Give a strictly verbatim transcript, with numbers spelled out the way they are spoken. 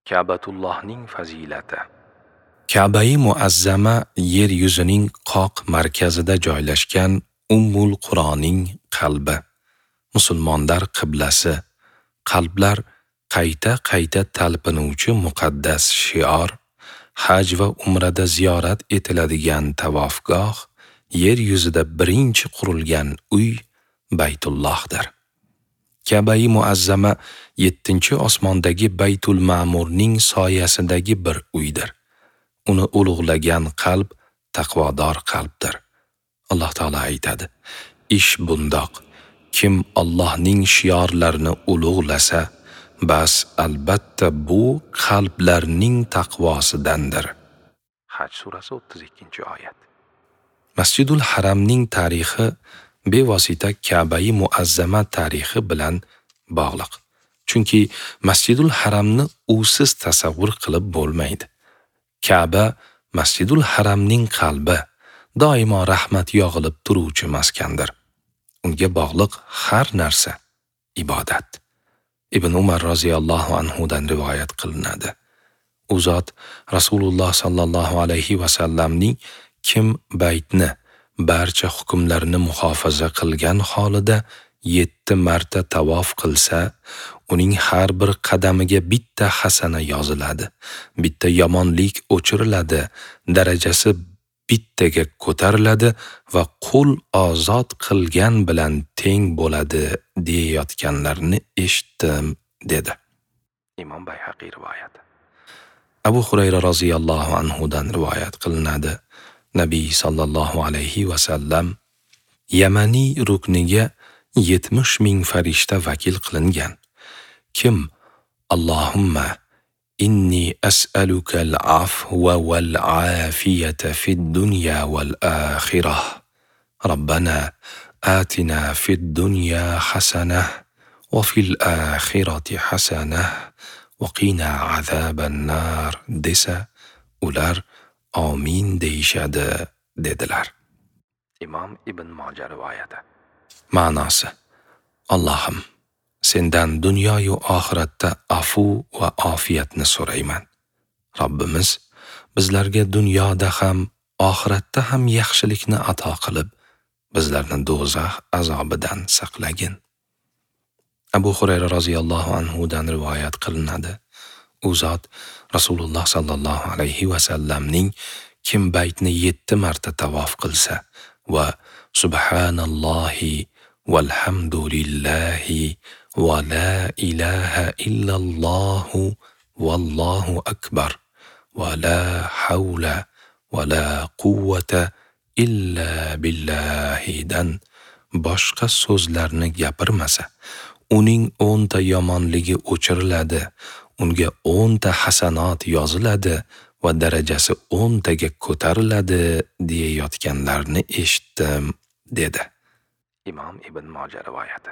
Ka'batullohning fazilati. Ka'bai muazzama yer yuzining qoq markazida joylashgan Ummul Quroning qalbi, musulmonlar qiblasi, qalblar qayta-qayta talpinuvchi muqaddas shior, haj va umrada ziyorat etiladigan tavofgoh, yer yuzida birinchi qurilgan uy Baytullohdir. Ka'bai muazzama yettinchi osmondagi Baytul Ma'murning soyasidagi bir uydir. Uni ulug'lagan qalb taqvodor qalbdir. Alloh taolo aytadi: ish bundoq, kim Allohning shiorlarini ulug'lasa, bas albatta bu qalblarning taqvosidandir. Haj surasi o'ttiz ikkinchi oyat. Masjidul Haramning tarixi bevosita Ka'bai muazzama tarixi bilan bog'liq. Chunki Masjidul Haramni usiz tasavvur qilib bo'lmaydi. Ka'ba Masjidul Haramning qalbi, doimo rahmat yog'ilib turuvchi maskandir. Unga bog'liq har narsa ibodat. Ibn Umar roziyallohu anhu dan rivoyat qilinadi. U zot Rasululloh sallallohu alayhi va sallamning kim baytni barcha hukmlarini muhofaza qilgan holida yetti marta tavof qilsa, uning har bir qadamiga bitta hasana yoziladi, bitta yomonlik o'chiriladi, darajasi bittaga ko'tariladi va qul ozod qilgan bilan teng bo'ladi deyayotganlarini eshitdim, dedi. Imom Bayhaqiy rivoyati. Abu Hurayra roziyallohu anhu dan rivoyat qilinadi. Nabiy sallallohu alayhi va sallam Yamaniy rukniga yetmish ming farishta vakil qilingan. Kim Allohumma inni as'aluka al-afwa wal-afiyata fid-dunya wal-akhirah. Rabbana atina fid-dunya hasanah wa fil-akhirati hasanah wa qina azaban-nar desa, ular amin deyishadi, dedilar. Imom Ibn Moja rivoyati. Ma'nosi: Allohim, sendan dunyo-yu oxiratda afu va ofiyatni so'rayman. Robbimiz bizlarga dunyoda ham, oxiratda ham yaxshilikni ato qilib, bizlarni do'zax azobidan saqlagin. Abu Hurayra roziyallohu anhu dan rivoyat qilinadi. U zot Rasululloh sallallohu alayhi va sallamning kim baytni yetti marta tavof qilsa va subhanallohi walhamdulillahi va la ilaha illallohu vallohu akbar va la havla va la quvvata illa billahidan boshqa so'zlarni gapirmasa, uning o'nta yomonligi o'chiriladi, unga o'nta hasanot yoziladi va darajasi o'ntaga ko'tariladi deyayotganlarni eshitdim, dedi. Imom Ibn Moja rivoyati.